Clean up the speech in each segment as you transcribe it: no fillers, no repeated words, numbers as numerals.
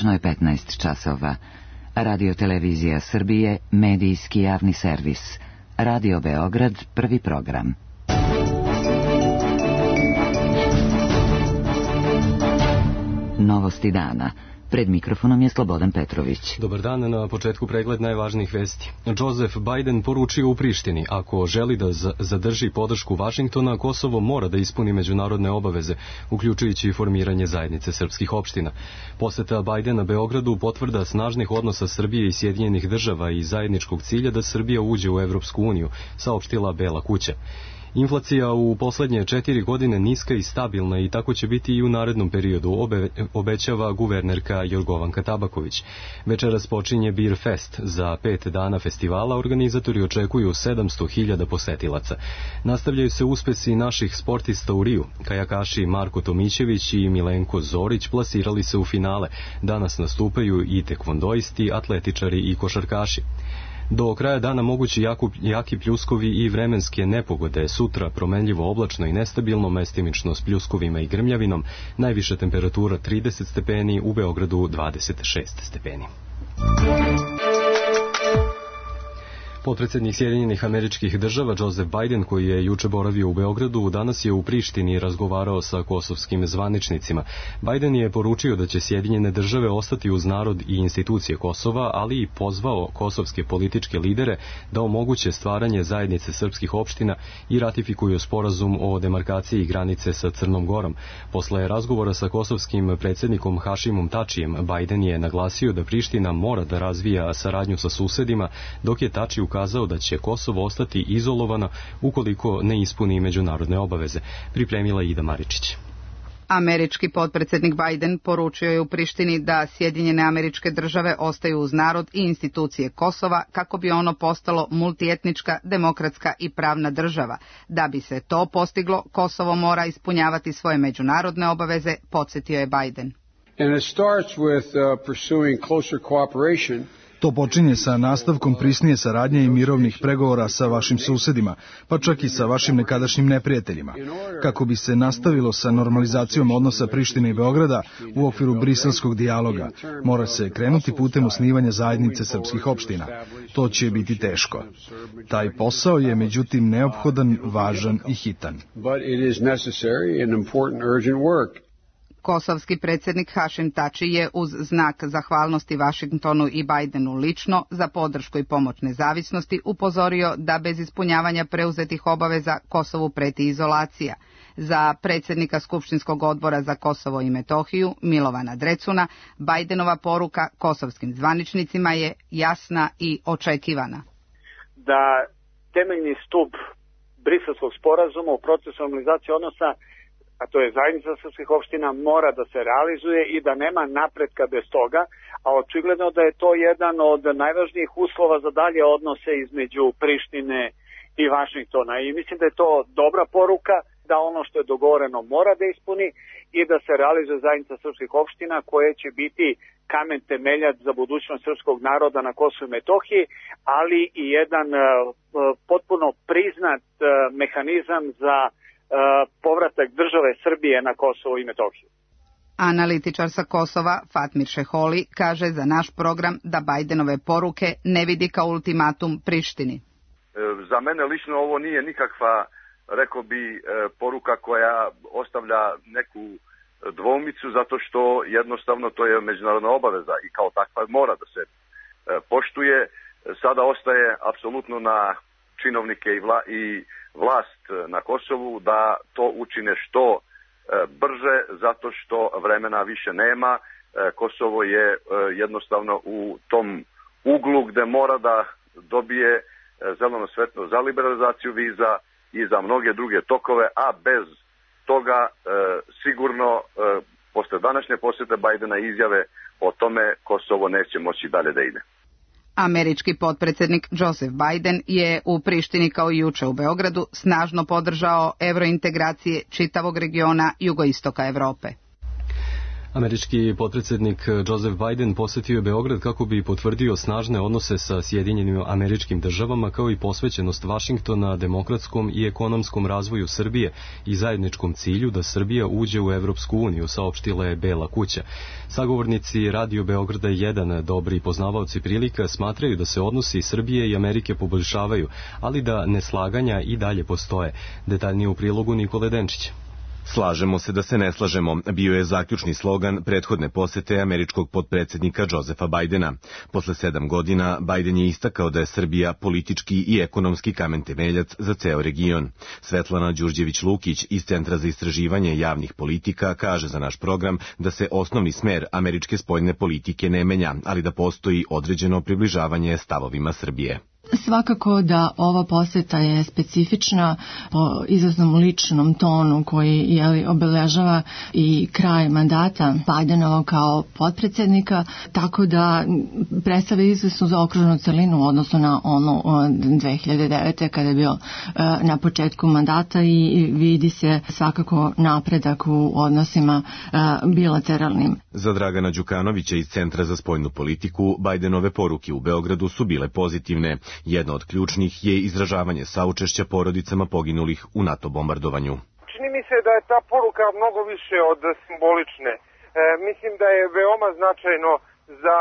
Tačno je 15 časova. Radio Televizija Srbije, medijski javni servis. Radio Beograd, prvi program. Novosti dana. Pred mikrofonom je Slobodan Petrović. Dobar dan, na početku pregled najvažnijih vesti. Joseph Biden poručio u Prištini, ako želi da zadrži podršku Vašingtona, Kosovo mora da ispuni međunarodne obaveze, uključujući i formiranje zajednice srpskih opština. Poseta Bidena Beogradu potvrda snažnih odnosa Srbije i Sjedinjenih država i zajedničkog cilja da Srbija uđe u Evropsku uniju, saopštila Bela kuća. Inflacija u poslednje 4 godine niska i stabilna i tako će biti i u narednom periodu, obećava guvernerka Jorgovanka Tabaković. Večeras počinje Beer Fest. Za 5 dana festivala organizatori očekuju 700.000 posetilaca. Nastavljaju se uspesi naših sportista u Riju. Kajakaši Marko Tomićević i Milenko Zorić plasirali se u finale. Danas nastupaju i tekvondoisti, atletičari i košarkaši. Do kraja dana mogući jaki pljuskovi i vremenske nepogode. Sutra promenljivo oblačno i nestabilno, mestimično s pljuskovima i grmljavinom. Najviša temperatura 30 stepeni, u Beogradu 26 stepeni. Potpredsednik Sjedinjenih Američkih Država Joseph Biden, koji je juče boravio u Beogradu, danas je u Prištini razgovarao sa kosovskim zvaničnicima. Biden je poručio da će Sjedinjene Države ostati uz narod i institucije Kosova, ali i pozvao kosovske političke lidere da omoguće stvaranje zajednice srpskih opština i ratifikuju sporazum o demarkaciji granice sa Crnom Gorom. Posle razgovora sa kosovskim predsjednikom Hašimom Tačijem, Biden je naglasio da Priština mora da razvija saradnju sa susedima, dok je Tači ukazao da će Kosovo ostati izolovano ukoliko ne ispuni međunarodne obaveze, pripremila Ida Maričić. Američki potpredsjednik Biden poručio je u Prištini da Sjedinjene Američke Države ostaju uz narod i institucije Kosova kako bi ono postalo multietnička, demokratska i pravna država. Da bi se to postiglo, Kosovo mora ispunjavati svoje međunarodne obaveze, podsjetio je Biden. And it starts with pursuing closer cooperation. To počinje sa nastavkom prisnije saradnje i mirovnih pregovora sa vašim susedima, pa čak i sa vašim nekadašnjim neprijateljima. Kako bi se nastavilo sa normalizacijom odnosa Prištine i Beograda u okviru briselskog dijaloga, mora se krenuti putem osnivanja zajednice srpskih opština. To će biti teško. Taj posao je međutim neophodan, važan i hitan. Kosovski predsjednik Hašim Tači je uz znak zahvalnosti Vašingtonu i Bidenu lično za podršku i pomoć nezavisnosti upozorio da bez ispunjavanja preuzetih obaveza Kosovu preti izolacija. Za predsjednika Skupštinskog odbora za Kosovo i Metohiju, Milovana Drecuna, Bidenova poruka kosovskim zvaničnicima je jasna i očekivana. Da temeljni stup Briselskog sporazuma u procesu normalizacije odnosa, a to je zajednica srpskih opština, mora da se realizuje i da nema napretka bez toga, a očigledno da je to jedan od najvažnijih uslova za dalje odnose između Prištine i Vašingtona. I mislim da je to dobra poruka, da ono što je dogovoreno mora da ispuni i da se realizuje zajednica srpskih opština koje će biti kamen temeljac za budućnost srpskog naroda na Kosovu i Metohiji, ali i jedan potpuno priznat mehanizam za povratak države Srbije na Kosovo i Metohiju. Analitičar sa Kosova, Fatmir Šeholi, kaže za naš program da Bidenove poruke ne vidi kao ultimatum Prištini. Za mene lično ovo nije nikakva, rekao bi, poruka koja ostavlja neku dvoumicu, zato što jednostavno to je međunarodna obaveza i kao takva mora da se poštuje. Sada ostaje apsolutno na činovnike i vlast na Kosovu da to učine što brže, zato što vremena više nema. Kosovo je jednostavno u tom uglu gde mora da dobije zeleno svetlo za liberalizaciju viza i za mnoge druge tokove, a bez toga sigurno posle današnje posjete Bidena izjave o tome Kosovo neće moći dalje da ide. Američki potpredsjednik Joseph Biden je u Prištini kao i juče u Beogradu snažno podržao evrointegracije čitavog regiona jugoistoka Evrope. Američki potpredsjednik Joseph Biden posjetio je Beograd kako bi potvrdio snažne odnose sa Sjedinjenim Američkim Državama kao i posvećenost Vašingtona demokratskom i ekonomskom razvoju Srbije i zajedničkom cilju da Srbija uđe u Evropsku uniju, saopštila je Bela kuća. Sagovornici Radio Beograda 1, dobri poznavaoci prilika, smatraju da se odnosi Srbije i Amerike poboljšavaju, ali da neslaganja i dalje postoje. Detaljnije u prilogu Nikole Denčića. Slažemo se da se ne slažemo, bio je zaključni slogan prethodne posete američkog potpredsjednika Josepha Bidena. Posle 7 godina, Biden je istakao da je Srbija politički i ekonomski kamen temeljac za ceo region. Svetlana Đurđević-Lukić iz Centra za istraživanje javnih politika kaže za naš program da se osnovni smer američke spoljne politike ne menja, ali da postoji određeno približavanje stavovima Srbije. Svakako da ova poseta je specifična po izvesnom ličnom tonu koji obeležava i kraj mandata Bidenovog kao potpredsjednika, tako da predstavlja izvesnu zaokruženu celinu odnosno na onu 2009. kada je bio na početku mandata i vidi se svakako napredak u odnosima bilateralnim. Za Dragana Đukanovića iz Centra za spoljnu politiku, Bidenove poruke u Beogradu su bile pozitivne. Jedna od ključnih je izražavanje saučešća porodicama poginulih u NATO bombardovanju. Čini mi se da je ta poruka mnogo više od simbolične. Mislim da je veoma značajno za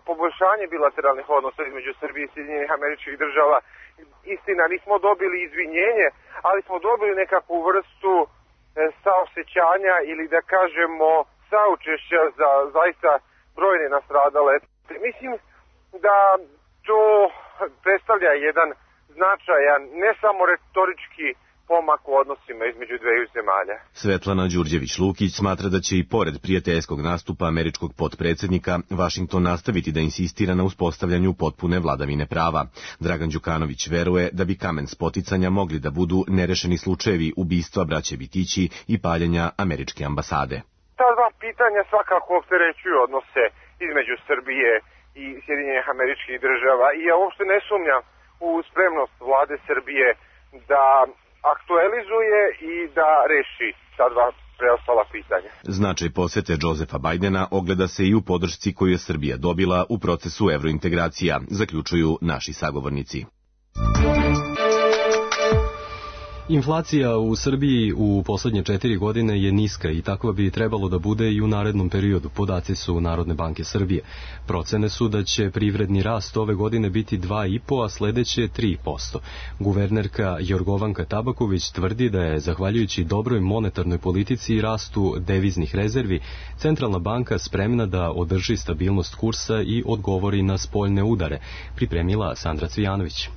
poboljšanje bilateralnih odnosa između Srbije i Sjedinjenih Američkih Država. Istina, nismo dobili izvinjenje, ali smo dobili nekakvu vrstu saosećanja ili da kažemo saučešća za zaista brojne nastradale. Mislim da to predstavlja jedan značajan, ne samo retorički pomak u odnosima između dveju zemalja. Svetlana Đurđević-Lukić smatra da će i pored prijateljskog nastupa američkog potpredsjednika Vašington nastaviti da insistira na uspostavljanju potpune vladavine prava. Dragan Đukanović veruje da bi kamen spoticanja mogli da budu nerešeni slučajevi ubistva braće Bitići i paljenja američke ambasade. Ta dva pitanja svakako opterećuju odnose između Srbije i Sjedinjenih Američkih Država i ja uopšte ne sumnjam u spremnost vlade Srbije da aktualizuje i da reši ta dva preostala pitanja. Značaj posete Josepha Bidena ogleda se i u podršci koju je Srbija dobila u procesu evrointegracija, zaključuju naši sagovornici. Inflacija u Srbiji u poslednje 4 godine je niska i takva bi trebalo da bude i u narednom periodu, podaci su Narodne banke Srbije. Procene su da će privredni rast ove godine biti 2,5%, a sledeće 3%. Guvernerka Jorgovanka Tabaković tvrdi da je, zahvaljujući dobroj monetarnoj politici i rastu deviznih rezervi, Centralna banka spremna da održi stabilnost kursa i odgovori na spoljne udare, pripremila Sandra Cvijanović.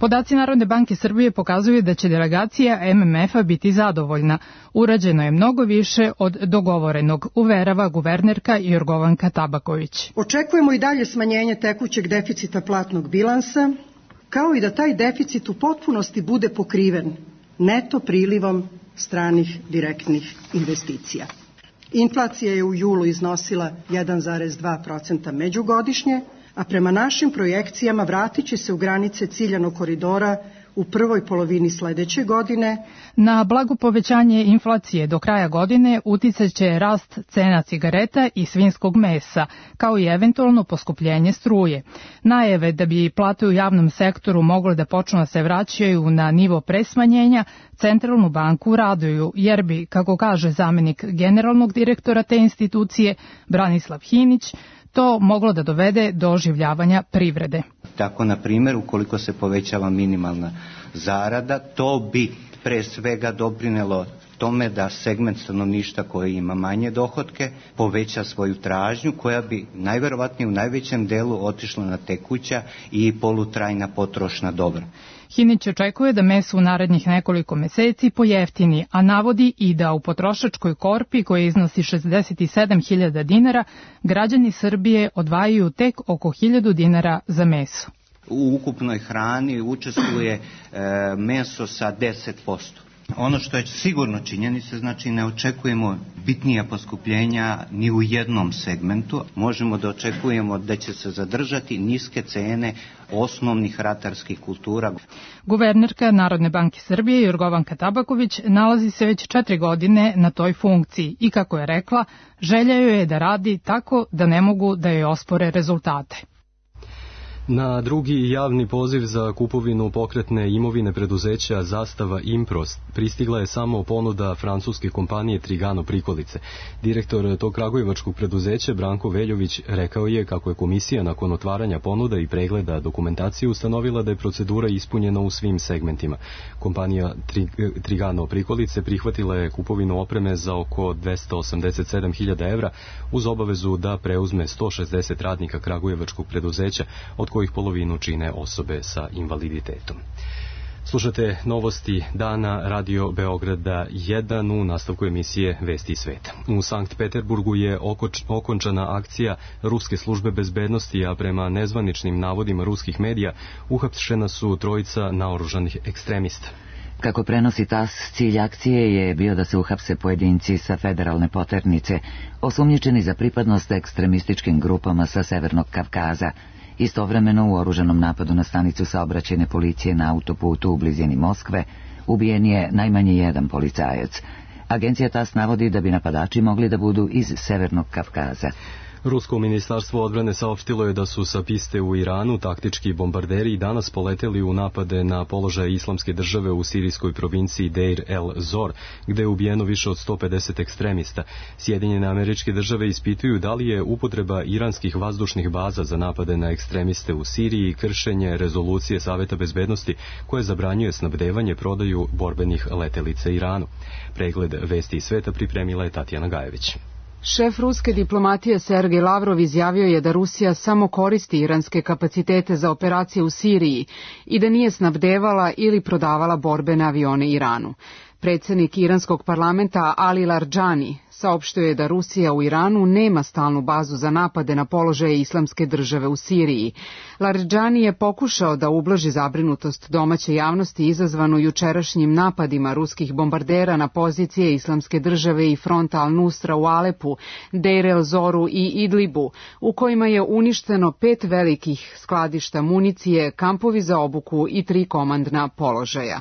Podaci Narodne banke Srbije pokazuju da će delegacija MMF-a biti zadovoljna. Urađeno je mnogo više od dogovorenog, uverava guvernerka Jorgovanka Tabaković. Očekujemo i dalje smanjenje tekućeg deficita platnog bilansa, kao i da taj deficit u potpunosti bude pokriven neto prilivom stranih direktnih investicija. Inflacija je u julu iznosila 1,2% međugodišnje, a prema našim projekcijama vratit će se u granice ciljanog koridora u prvoj polovini sledeće godine. Na blago povećanje inflacije do kraja godine uticat će rast cena cigareta i svinjskog mesa, kao i eventualno poskupljenje struje. Najave da bi plate u javnom sektoru mogle da počnu da se vraćaju na nivo pre smanjenja, Centralnu banku raduju, jer bi, kako kaže zamenik generalnog direktora te institucije, Branislav Hinić, to moglo da dovede do oživljavanja privrede. Tako, na primjer, ukoliko se povećava minimalna zarada, to bi pre svega doprinelo tome da segment stanovništva koji ima manje dohotke poveća svoju tražnju, koja bi najverovatnije u najvećem delu otišla na tekuća i polutrajna potrošna dobra. Hinić očekuje da meso u narednih nekoliko meseci pojeftini, a navodi i da u potrošačkoj korpi, koja iznosi 67.000 dinara, građani Srbije odvajaju tek oko 1.000 dinara za meso. U ukupnoj hrani učestvuje meso sa 10%. Ono što je sigurno činjenica, znači ne očekujemo bitnija poskupljenja ni u jednom segmentu. Možemo da očekujemo da će se zadržati niske cene osnovnih ratarskih kultura. Guvernerka Narodne banke Srbije Jorgovanka Tabaković nalazi se već 4 godine na toj funkciji i, kako je rekla, želja joj je da radi tako da ne mogu da joj ospore rezultate. Na drugi javni poziv za kupovinu pokretne imovine preduzeća Zastava Improst pristigla je samo ponuda francuske kompanije Trigano Prikolice. Direktor tog kragujevačkog preduzeća Branko Veljović rekao je kako je komisija nakon otvaranja ponuda i pregleda dokumentacije ustanovila da je procedura ispunjena u svim segmentima. Kompanija Trigano Prikolice prihvatila je kupovinu opreme za oko 287.000 evra uz obavezu da preuzme 160 radnika kragujevačkog preduzeća, od kojih polovinu čine osobe sa invaliditetom. Slušate novosti dana Radio Beograda 1 u nastavku emisije Vesti iz sveta. U Sankt Peterburgu je okončana akcija ruske službe bezbednosti, a prema nezvaničnim navodima ruskih medija uhapšena su trojica naoružanih ekstremista. Kako prenosi TASS, cilj akcije je bio da se uhapse pojedinci sa federalne poternice, osumnjičeni za pripadnost ekstremističkim grupama sa Severnog Kavkaza. Istovremeno u oružanom napadu na stanicu saobraćajne policije na autoputu u blizini Moskve ubijen je najmanje jedan policajac. Agencija TASS navodi da bi napadači mogli da budu iz Severnog Kavkaza. Rusko ministarstvo odbrane saopštilo je da su sa piste u Iranu taktički bombarderi danas poleteli u napade na položaje Islamske države u sirijskoj provinciji Deir el-Zor, gde je ubijeno više od 150 ekstremista. Sjedinjene Američke Države ispituju da li je upotreba iranskih vazdušnih baza za napade na ekstremiste u Siriji kršenje rezolucije Saveta bezbednosti koje zabranjuje snabdevanje prodaju borbenih letelica Iranu. Pregled Vesti iz sveta pripremila je Tatjana Gajević. Šef ruske diplomatije Sergej Lavrov izjavio je da Rusija samo koristi iranske kapacitete za operacije u Siriji i da nije snabdevala ili prodavala borbene avione Iranu. Predsjednik iranskog parlamenta Ali Larijani saopštio je da Rusija u Iranu nema stalnu bazu za napade na položaje Islamske države u Siriji. Larijani je pokušao da ublaži zabrinutost domaće javnosti izazvanu jučerašnjim napadima ruskih bombardera na pozicije Islamske države i fronta Al-Nusra u Alepu, Deir el-Zoru i Idlibu, u kojima je uništeno 5 velikih skladišta municije, kampovi za obuku i 3 komandna položaja.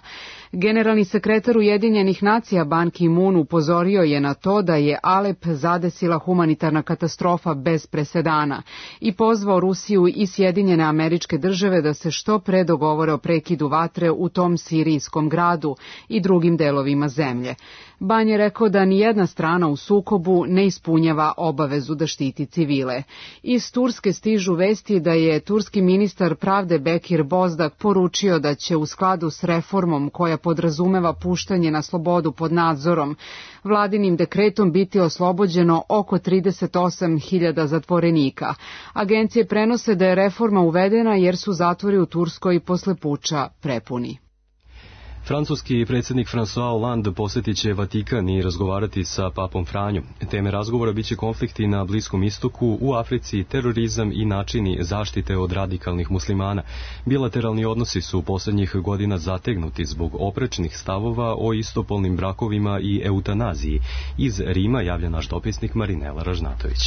Generalni sekretar Ujedinjenih nacija Ban Ki-moon upozorio je na to da je Alep zadesila humanitarna katastrofa bez presedana i pozvao Rusiju i Sjedinjene Američke Države da se što pre dogovore o prekidu vatre u tom sirijskom gradu i drugim delovima zemlje. Ban je rekao da nijedna strana u sukobu ne ispunjava obavezu da štiti civile. Iz Turske stižu vesti da je turski ministar pravde Bekir Bozdak poručio da će u skladu s reformom koja podrazumeva puštanje na slobodu pod nadzorom, vladinim dekretom biti oslobođeno oko 38.000 zatvorenika. Agencije prenose da je reforma uvedena jer su zatvori u Turskoj posle puča prepuni. Francuski predsjednik François Hollande posjetit će Vatikan i razgovarati sa papom Franjom. Teme razgovora biće konflikti na Bliskom istoku, u Africi, terorizam i načini zaštite od radikalnih muslimana. Bilateralni odnosi su posljednjih godina zategnuti zbog oprečnih stavova o istopolnim brakovima i eutanaziji. Iz Rima javlja naš dopisnik Marinela Ražnatović.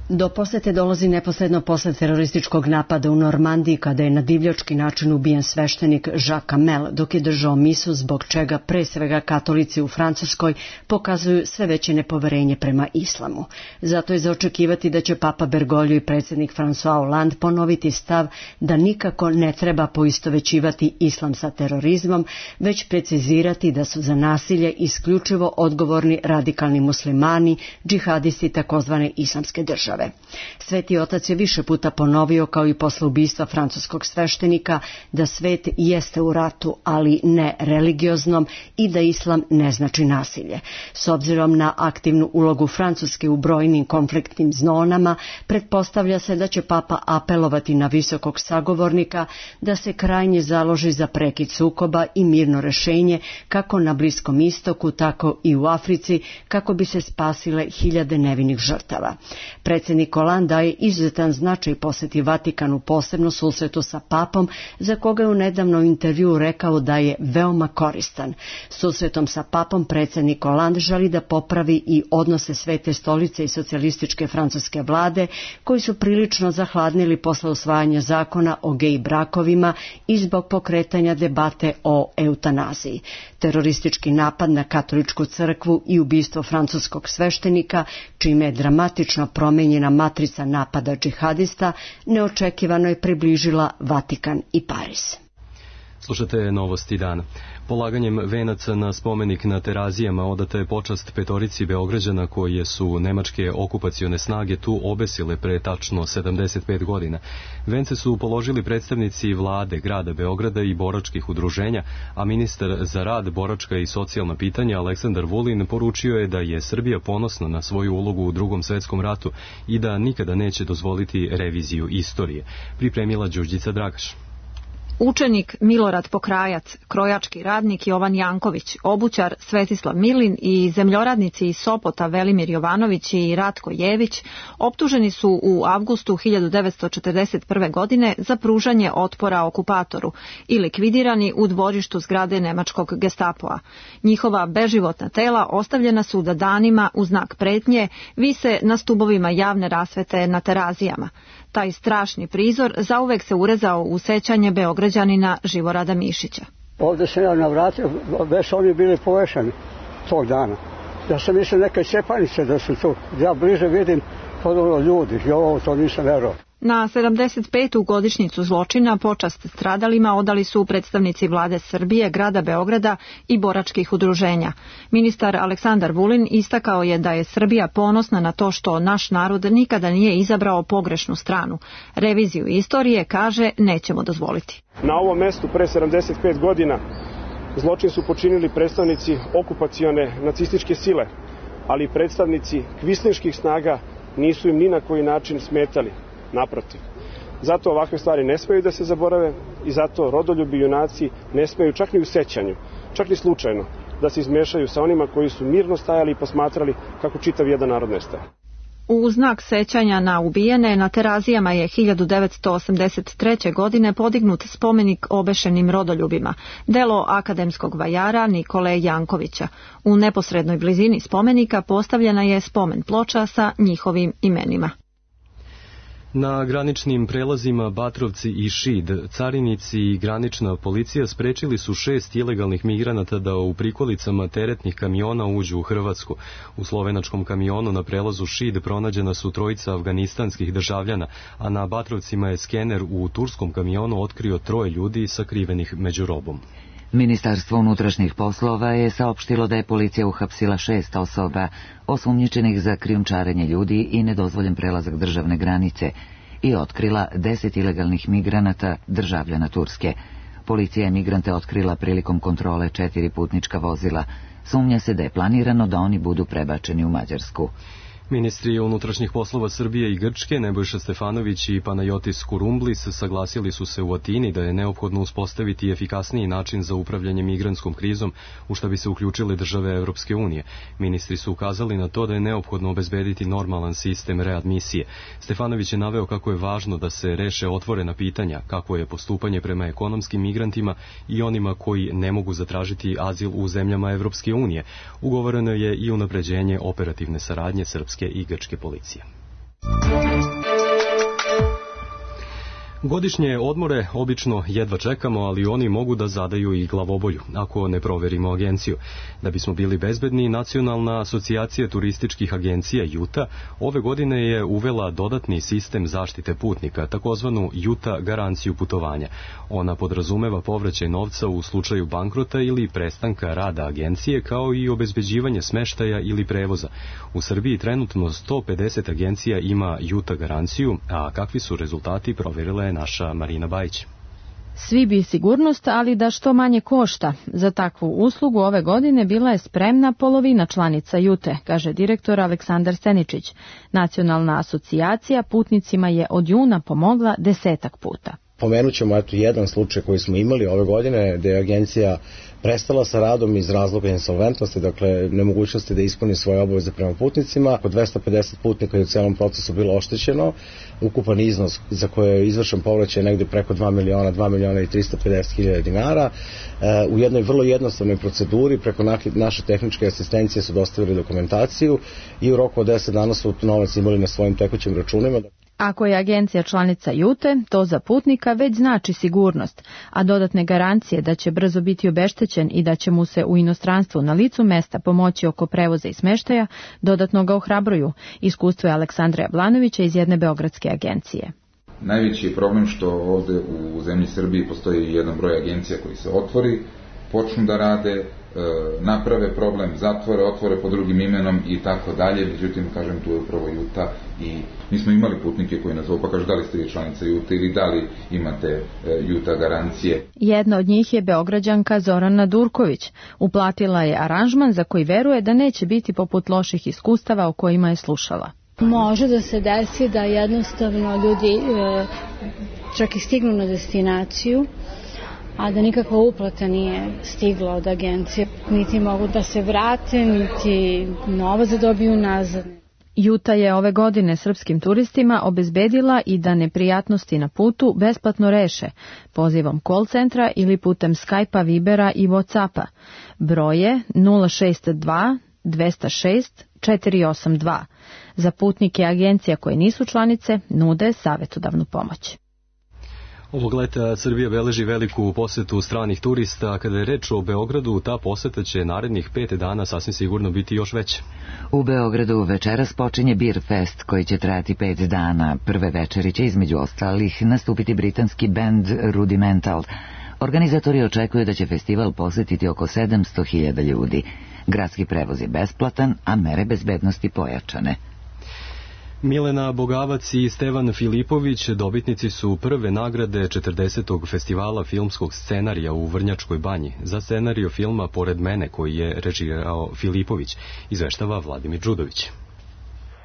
Do posete dolazi neposredno posle terorističkog napada u Normandiji kada je na divljački način ubijen sveštenik Jacques Hamel dok je držao misu, zbog čega pre svega katolici u Francuskoj pokazuju sve veće nepoverenje prema islamu. Zato je za očekivati da će papa Bergoglio i predsjednik François Hollande ponoviti stav da nikako ne treba poistovećivati islam sa terorizmom, već precizirati da su za nasilje isključivo odgovorni radikalni muslimani, džihadisti takozvane islamske države. Sveti otac je više puta ponovio, kao i posle ubistva francuskog sveštenika, da svet jeste u ratu, ali ne religioznom, i da islam ne znači nasilje. S obzirom na aktivnu ulogu Francuske u brojnim konfliktnim zonama, pretpostavlja se da će papa apelovati na visokog sagovornika da se krajnje založi za prekid sukoba i mirno rešenje kako na Bliskom istoku, tako i u Africi, kako bi se spasile hiljade nevinih žrtava. predsjednik Hollande daje izuzetan značaj posjeti Vatikanu, posebno susretu sa papom, za koga je u nedavnom intervjuu rekao da je veoma koristan. Susretom sa papom predsjednik Hollande želi da popravi i odnose Svete stolice i socijalističke francuske vlade, koji su prilično zahladnili posle usvajanja zakona o gej brakovima i zbog pokretanja debate o eutanaziji. Teroristički napad na katoličku crkvu i ubistvo francuskog sveštenika, čime je dramatično promenjena matrica napada džihadista, neočekivano je približila Vatikan i Pariz. Slušate novosti dana. Polaganjem venaca na spomenik na Terazijama odata je počast petorici Beograđana koje su nemačke okupacione snage tu obesile pre tačno 75 godina. Vence su položili predstavnici vlade grada Beograda i boračkih udruženja, a ministar za rad, boračka i socijalna pitanja Aleksandar Vulin poručio je da je Srbija ponosna na svoju ulogu u Drugom svetskom ratu i da nikada neće dozvoliti reviziju istorije. Pripremila Đurđica Dragaš. Učenik Milorad Pokrajac, krojački radnik Jovan Janković, obućar Svetislav Milin i zemljoradnici iz Sopota Velimir Jovanović i Ratko Jević optuženi su u avgustu 1941. godine za pružanje otpora okupatoru i likvidirani u dvorištu zgrade nemačkog Gestapoa. Njihova beživotna tela ostavljena su da danima u znak pretnje vise na stubovima javne rasvete na Terazijama. Taj strašni prizor zauvek se urezao u sećanje Beograđanina Živorada Mišića. Ovdje se ja navratio, već oni bili povešani tog dana. Ja sam mislio neke cepanice da su tu. Ja bliže vidim podobno ljudi i ovo to nisam verovao. Na 75. godišnjicu zločina počast stradalima odali su predstavnici vlade Srbije, grada Beograda i boračkih udruženja. Ministar Aleksandar Vulin istakao je da je Srbija ponosna na to što naš narod nikada nije izabrao pogrešnu stranu. Reviziju istorije, kaže, nećemo dozvoliti. Na ovom mestu pre 75 godina zločin su počinili predstavnici okupacione nacističke sile, ali predstavnici kvislinških snaga nisu im ni na koji način smetali. Naprotiv. Zato ovakve stvari ne smeju da se zaborave i zato rodoljubi junaci ne smeju čak ni u sećanju, čak ni slučajno, da se izmešaju sa onima koji su mirno stajali i posmatrali kako čitav jedan narod nestaje. U znak sećanja na ubijene na Terazijama je 1983. godine podignut spomenik obešenim rodoljubima, delo akademskog vajara Nikole Jankovića. U neposrednoj blizini spomenika postavljena je spomen ploča sa njihovim imenima. Na graničnim prelazima Batrovci i Šid, carinici i granična policija sprečili su 6 ilegalnih migranata da u prikolicama teretnih kamiona uđu u Hrvatsku. U slovenačkom kamionu na prelazu Šid pronađena su 3 afganistanskih državljana, a na Batrovcima je skener u turskom kamionu otkrio 3 ljudi sakrivenih među robom. Ministarstvo unutrašnjih poslova je saopštilo da je policija uhapsila 6 osoba osumnjičenih za krijumčarenje ljudi i nedozvoljen prelazak državne granice i otkrila 10 ilegalnih migranata državljana Turske. Policija je migrante otkrila prilikom kontrole 4 putnička vozila. Sumnja se da je planirano da oni budu prebačeni u Mađarsku. Ministri unutrašnjih poslova Srbije i Grčke, Nebojša Stefanović i Panajotis Kurumblis, saglasili su se u Atini da je neophodno uspostaviti efikasniji način za upravljanje migrantskom krizom, u šta bi se uključile države Evropske unije. Ministri su ukazali na to da je neophodno obezbediti normalan sistem readmisije. Stefanović je naveo kako je važno da se reše otvorena pitanja, kako je postupanje prema ekonomskim migrantima i onima koji ne mogu zatražiti azil u zemljama Evropske unije. Ugovoreno je i unapređenje operativne saradnje srpske i grčke policije. Godišnje odmore obično jedva čekamo, ali oni mogu da zadaju i glavobolju, ako ne proverimo agenciju. Da bismo bili bezbedni, Nacionalna asocijacija turističkih agencija JUTA ove godine je uvela dodatni sistem zaštite putnika, takozvanu JUTA garanciju putovanja. Ona podrazumeva povraćaj novca u slučaju bankrota ili prestanka rada agencije, kao i obezbeđivanje smeštaja ili prevoza. U Srbiji trenutno 150 agencija ima JUTA garanciju, a kakvi su rezultati proverila je naša Marina Bajić. Svi bi sigurnost, ali da što manje košta. Za takvu uslugu ove godine bila je spremna polovina članica JUTE, kaže direktor Aleksandar Seničić. Nacionalna asocijacija putnicima je od juna pomogla 10 puta. Pomenut ćemo jedan slučaj koji smo imali ove godine, gde je agencija prestala sa radom iz razloga insolventnosti, dakle nemogućnosti da ispuni svoje obaveze prema putnicima. Oko 250 putnika je u celom procesu bilo oštećeno. Ukupan iznos za koje je izvršen povraćaj je negde preko 2 miliona i 350 hiljada dinara. U jednoj vrlo jednostavnoj proceduri preko naše tehničke asistencije su dostavili dokumentaciju i u roku od 10 dana su novac imali na svojim tekućim računima. Ako je agencija članica Jute, to za putnika već znači sigurnost, a dodatne garancije da će brzo biti obeštećen i da će mu se u inostranstvu na licu mesta pomoći oko prevoza i smeštaja, dodatno ga ohrabruju. Iskustvo je Aleksandra Jablanovića iz jedne beogradske agencije. Najveći je problem što ovde u zemlji Srbiji postoji jedan broj agencija koji se otvori, počnu da rade, naprave problem, zatvore, otvore pod drugim imenom i tako dalje. Međutim, kažem, tu je upravo Juta i mi smo imali putnike koji nas pa kažu da li ste vi članica Jute ili da li imate Juta garancije. Jedna od njih je Beograđanka Zorana Durković. Uplatila je aranžman za koji veruje da neće biti poput loših iskustava o kojima je slušala. Može da se desi da jednostavno ljudi čak i stignu na destinaciju, a da nikakva uplata nije stigla od agencije. Niti mogu da se vrate, niti novac da dobiju nazad. Juta je ove godine srpskim turistima obezbedila i da neprijatnosti na putu besplatno reše, pozivom call centra ili putem Skype-a, Vibera i Whatsappa. Broj je 062 206 482. Za putnike agencija koje nisu članice nude savjetodavnu pomoć. Ovog leta Srbija beleži veliku posetu stranih turista, a kada je reč o Beogradu, ta poseta će narednih 5 dana sasvim sigurno biti još veća. U Beogradu večeras počinje Beer Fest koji će trajati 5 dana. Prve večeri će između ostalih nastupiti britanski bend Rudimental. Organizatori očekuju da će festival posetiti oko 700.000 ljudi. Gradski prevoz je besplatan, a mere bezbednosti pojačane. Milena Bogavac i Stevan Filipović dobitnici su prve nagrade 40. festivala filmskog scenarija u Vrnjačkoj Banji. Za scenario filma Pored mene, koji je režirao Filipović, izveštava Vladimir Đudović.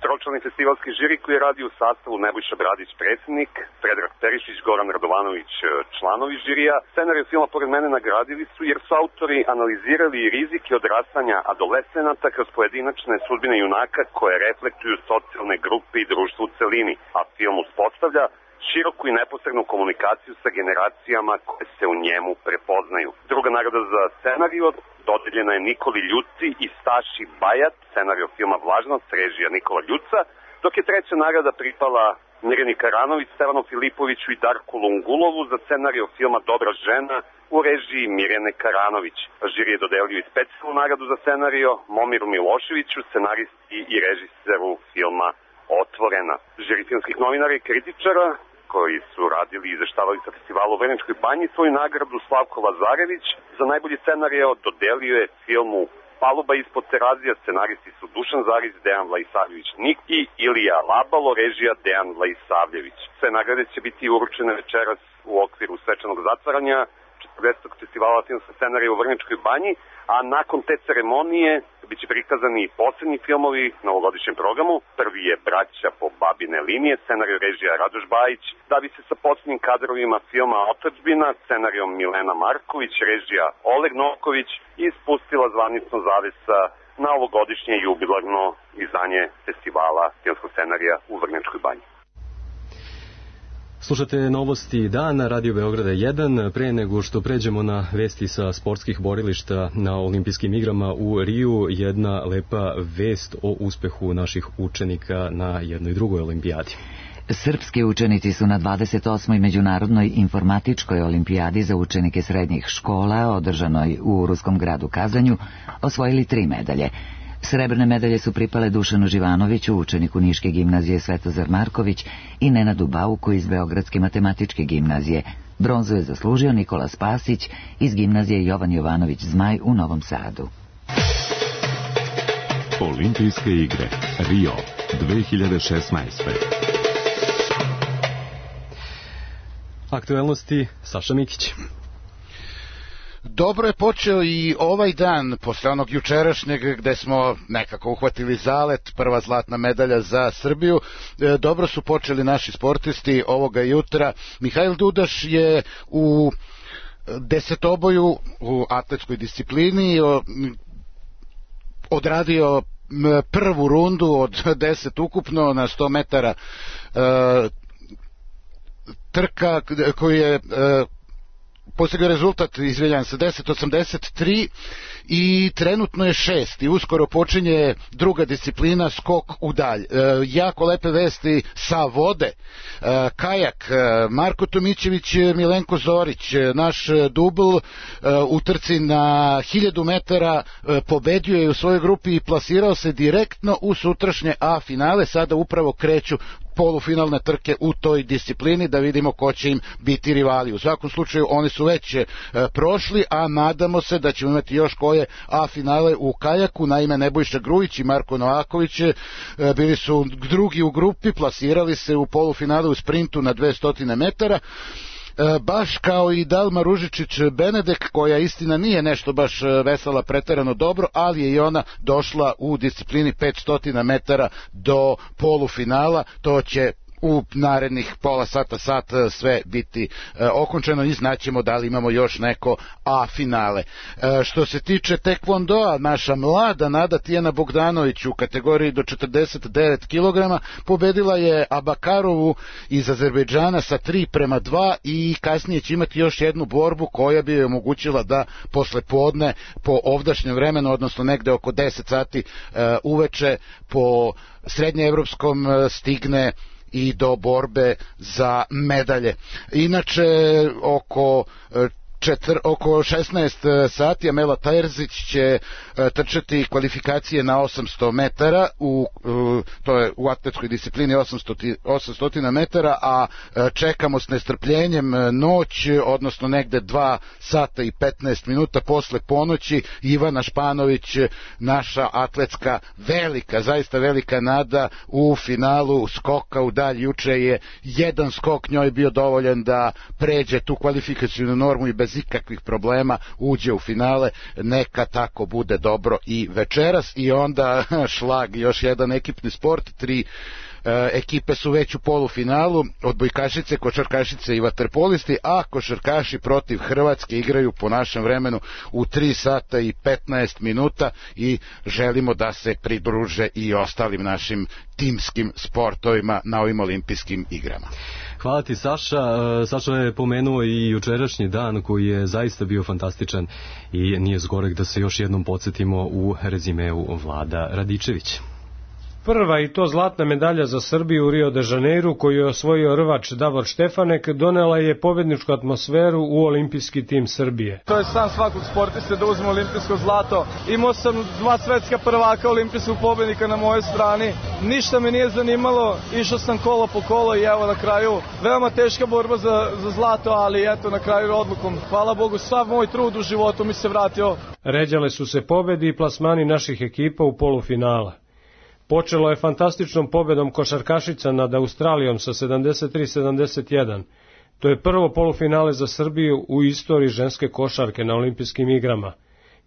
Tročlani festivalski žiri koji radi u sastavu Nebojša Bradić predsjednik, Predrag Perišić, Goran Radovanović članovi žirija. Scenariju filma Pored mene nagradili su jer su autori analizirali rizike odrastanja adolescenata kroz pojedinačne sudbine junaka koje reflektuju socijalne grupe i društvo u celini, a film uspostavlja široku i neposrednu komunikaciju sa generacijama koje se u njemu prepoznaju. Druga nagrada za scenariju dodeljena je Nikoli Ljuci i Staši Bajat, scenario filma Vlažnost, režija Nikola Ljuca, dok je treća nagrada pripala Mirjani Karanović, Stevanu Filipoviću i Darku Lungulovu za scenario filma Dobra žena u režiji Mirjane Karanović. Žiri je dodelio i specijalnu nagradu za scenario Momiru Miloševiću, scenaristi i režiseru filma Otvorena. Žiri filmskih novinara i kritičara koji su radili i izveštavali sa festivalu u Vrnjačkoj Banji svoju nagradu Slavko Lazarević za najbolji scenario dodelio je filmu Paluba ispod Terazija, scenaristi su Dušan Zarić, Dejan Vlaisavljević-Nik i Ilija Labalo, režija Dejan Vlaisavljević. Sve nagrade će biti uručene večeras u okviru svečanog zatvaranja 40. festivala filmskog scenarija u Vrnjačkoj Banji, a nakon te ceremonije biće prikazani i poslednji filmovi na ovogodišnjem programu. Prvi je Braća po babine linije, scenarij režija Radoš Bajić, da bi se sa poslednjim kadrovima filma Otadžbina, scenarijom Milena Marković, režija Oleg Novković, ispustila zvanično zavesa na ovogodišnje jubilarno izdanje festivala filmskog scenarija u Vrnjačkoj Banji. Slušate novosti dana, Radio Beograda 1. Pre nego što pređemo na vesti sa sportskih borilišta na olimpijskim igrama u Riju, jedna lepa vest o uspehu naših učenika na jednoj drugoj olimpijadi. Srpski učenici su na 28. međunarodnoj informatičkoj olimpijadi za učenike srednjih škola, održanoj u ruskom gradu Kazanju, osvojili 3 medalje. Srebrne medalje su pripale Dušanu Živanoviću, učeniku Niške gimnazije Svetozar Marković, i Nenadu Bauku iz Beogradske matematičke gimnazije. Bronzu je zaslužio Nikola Spasić iz gimnazije Jovan Jovanović Zmaj u Novom Sadu. Olimpijske igre Rio 2016. Aktuelnosti Saša Mikić. Dobro je počeo i ovaj dan, posle onog jučerašnjeg gde smo nekako uhvatili zalet, prva zlatna medalja za Srbiju. Dobro su počeli naši sportisti ovoga jutra. Mihajl Dudaš je u desetoboju u atletskoj disciplini odradio prvu rundu od 10 ukupno na 100 metara trka koji je postigao rezultat, izvinjavam se, 10.83 i trenutno je 6. i uskoro počinje druga disciplina, skok u dalj. Jako lepe vesti sa vode. Kajak, Marko Tomićević, Milenko Zorić, naš dubl u trci na 1000 metara pobedio je u svojoj grupi i plasirao se direktno u sutrašnje A finale. Sada upravo kreću polufinalne trke u toj disciplini, da vidimo ko će im biti rivali. U svakom slučaju oni su već prošli, a nadamo se da ćemo imati još koje A finale u kajaku. Naime, Nebojša Grujić i Marko Novaković bili su drugi u grupi, plasirali se u polufinale u sprintu na 200 metara. Baš kao i Dalma Ružičić-Benedek, koja istina nije nešto baš veslala preterano dobro, ali je i ona došla u disciplini 500 metara do polufinala. To će u narednih pola sata, sat sve biti okončeno i znaćemo da li imamo još neko A finale. Što se tiče tekvondoa, naša mlada Nada Tijana Bogdanović u kategoriji do 49 kg pobedila je Abakarovu iz Azerbejdžana sa 3:2 i kasnije će imati još jednu borbu koja bi joj omogućila da posle podne po ovdašnjem vremenu, odnosno negde oko 10 sati uveče po srednjeevropskom stigne i do borbe za medalje. Inače, oko 16 sati Amela Terzić će trčati kvalifikacije na 800 metara, to je u atletskoj disciplini 800 metara, a čekamo s nestrpljenjem noć, odnosno negde 2 sata i 15 minuta posle ponoći Ivana Španović, naša atletska velika, zaista velika nada u finalu skoka u dalj. Juče je jedan skok njoj bio dovoljan da pređe tu kvalifikacijnu normu i bez ikakvih problema uđe u finale. Neka tako bude dobro i večeras. I onda šlag, još jedan ekipni sport, 3 ekipe su već u polufinalu, odbojkašice, košarkašice i vaterpolisti, a košarkaši protiv Hrvatske igraju po našem vremenu u 3 sata i 15 minuta i želimo da se pridruže i ostalim našim timskim sportovima na ovim olimpijskim igrama. Hvala ti, Saša. Saša je pomenuo i jučerašnji dan koji je zaista bio fantastičan i nije zgorek da se još jednom podsjetimo u rezimeu Vlada Radičević. Prva i to zlatna medalja za Srbiju u Rio de Janeiru koju je osvojio rvač Davor Štefanek donela je pobedničku atmosferu u olimpijski tim Srbije. To je san svakog sportiste da uzme olimpijsko zlato. Imao sam 2 svetska prvaka olimpijskog pobednika na mojoj strani. Ništa me nije zanimalo, išao sam kolo po kolo i evo na kraju veoma teška borba za zlato, ali eto na kraju odlukom. Hvala Bogu, sav moj trud u životu mi se vratio. Ređale su se pobedi i plasmani naših ekipa u polufinala. Počelo je fantastičnom pobedom košarkašica nad Australijom sa 73-71. To je prvo polufinale za Srbiju u istoriji ženske košarke na olimpijskim igrama.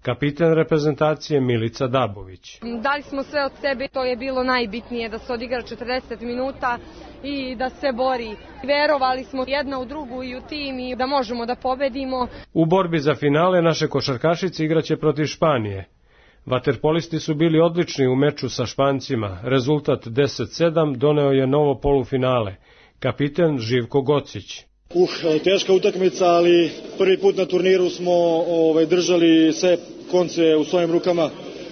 Kapitan reprezentacije Milica Dabović. Dali smo sve od sebe, to je bilo najbitnije, da se odigra 40 minuta i da se bori. Verovali smo jedna u drugu i u tim i da možemo da pobedimo. U borbi za finale naše košarkašice igraće protiv Španije. Vaterpolisti su bili odlični u meču sa Špancima. Rezultat 10-7 doneo je novo polufinale. Kapiten Živko Gocić. Teška utakmica, ali prvi put na turniru smo držali sve konce u svojim rukama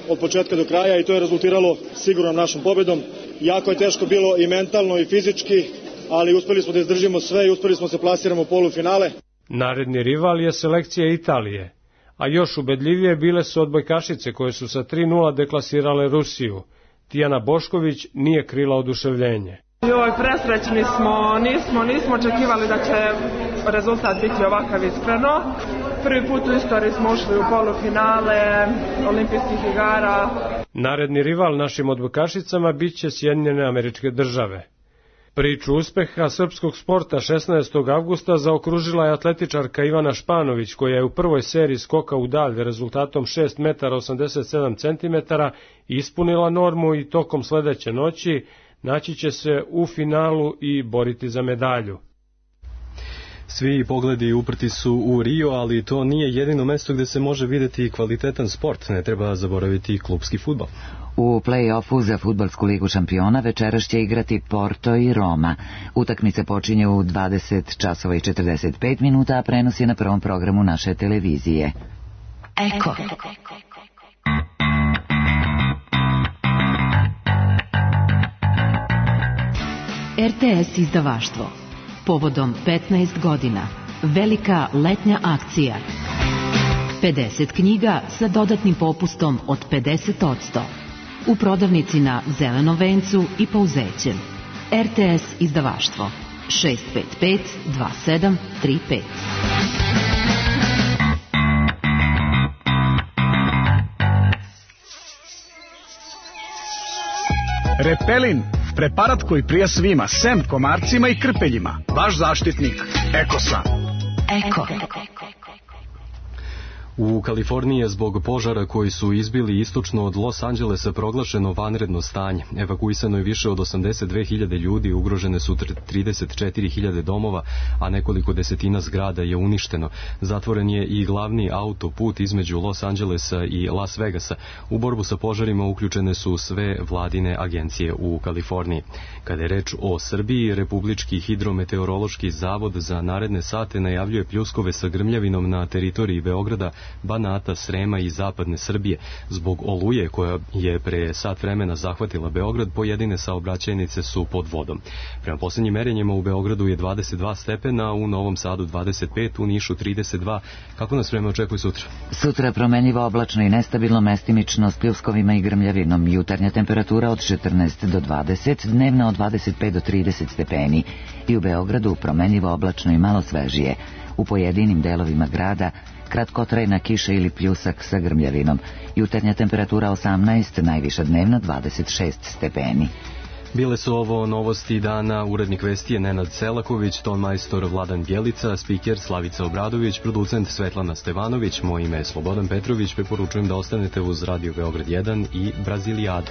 od početka do kraja i to je rezultiralo sigurnom našom pobedom. Jako je teško bilo i mentalno i fizički, ali uspeli smo da izdržimo sve i uspeli smo se plasiramo u polufinale. Naredni rival je selekcija Italije. A još ubedljivije bile su odbojkašice koje su sa 3:0 deklasirale Rusiju. Tijana Bošković nije krila oduševljenje. Presrećni smo, nismo očekivali da će rezultat biti ovakav iskreno. Prvi put u istoriji smo ušli u polufinale olimpijskih igara. Naredni rival našim odbojkašicama biće Sjedinjene Američke Države. Priču uspeha srpskog sporta 16. avgusta zaokružila je atletičarka Ivana Španović, koja je u prvoj seriji skoka u dalj rezultatom 6 metara 87 centimetara ispunila normu i tokom sledeće noći naći će se u finalu i boriti za medalju. Svi pogledi uprti su u Rio, ali to nije jedino mesto gde se može videti kvalitetan sport. Ne treba zaboraviti klupski fudbal. U play-offu za fudbalsku ligu šampiona večeras će igrati Porto i Roma. Utakmice počinje u 20 časova i 45 minuta, a prenos je na prvom programu naše televizije. Eko. RTS izdavaštvo. Povodom 15 godina. Velika letnja akcija. 50 knjiga sa dodatnim popustom od 50%. U prodavnici na Zelenom vencu i Pouzećem. RTS izdavaštvo 655 2735. Repelin, preparat koji prija svima, sem komarcima i krpeljima. Vaš zaštitnik, Ekosan. Eko. U Kaliforniji je zbog požara koji su izbili istočno od Los Angelesa proglašeno vanredno stanje. Evakuisano je više od 82.000 ljudi, ugrožene su 34.000 domova, a nekoliko desetina zgrada je uništeno. Zatvoren je i glavni autoput između Los Angelesa i Las Vegasa. U borbu sa požarima uključene su sve vladine agencije u Kaliforniji. Kada je reč o Srbiji, Republički hidrometeorološki zavod za naredne sate najavljuje pljuskove sa grmljavinom na teritoriji Beograda, Banata, Srema i zapadne Srbije. Zbog oluje koja je pre sat vremena zahvatila Beograd, pojedine saobraćajnice su pod vodom. Prema posljednjim merenjima u Beogradu je 22 stepena, u Novom Sadu 25, u Nišu 32. Kako nas vreme očekuje sutra? Sutra promenljivo oblačno i nestabilno, mestimično s pljuskovima i grmljavinom. Jutarnja temperatura od 14 do 20, dnevna od 25 do 30 stepeni. I u Beogradu promenljivo oblačno i malo svežije. U pojedinim delovima grada kratkotrajna kiša ili pljusak sa grmljavinom. Jutarnja temperatura 18, najviša dnevna 26 stepeni. Bile su ovo novosti dana. Urednik vesti je Nenad Selaković, tonmajstor Vladan Bjelica, spiker Slavica Obradović, producent Svetlana Stevanović, moje ime je Slobodan Petrović. Preporučujem da ostanete uz Radio Beograd 1 i Brazilijadu.